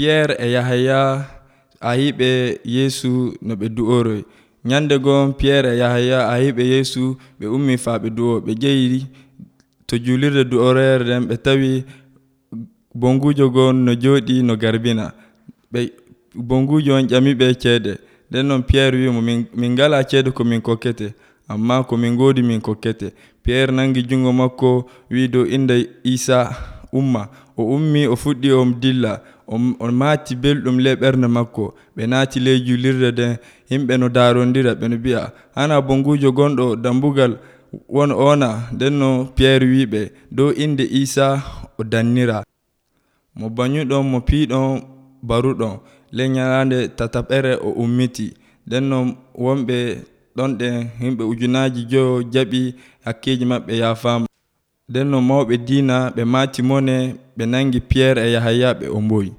Pierre e Yahaya a yiɓe Yeesu no ɓe du'oroy. Nyande gon Pierre e Yahaya a yiɓe Yeesu ɓe ummi faa ɓe du'o. Ɓe jehi to julirde du'oroyere nden ɓe tawi bongujo gon no jooɗi no garbina. Bongujo on ƴamiɓe ceede. Nden non Pierre wi mo min ngala ceede ko min kokkete, amma ko min ngoodi min kokkete. Pierre nangi jungo makko wi dow inde Isa umma. O ummi o fuɗɗi o dilla. O maati belɗum ley ɓernde makko. Ɓe naati ley julirde nden. Himɓe no daarondira ɓe no mbi'a hana bongujo gonɗo dambugal wona. Nden no Pierre wiɓe dow inde Isa o dannira. Mo banyuɗon mo piiɗon baruɗon ley nyalande tataɓere o ummiti. Nden non wonɓe ɗon ɗen himɓe 5,000 jaɓi hakkeji maɓɓe yaafama. Nden non mawɓe diina ɓe maati mone ɓe nangi Pierre e Yahaya ɓe omboyi.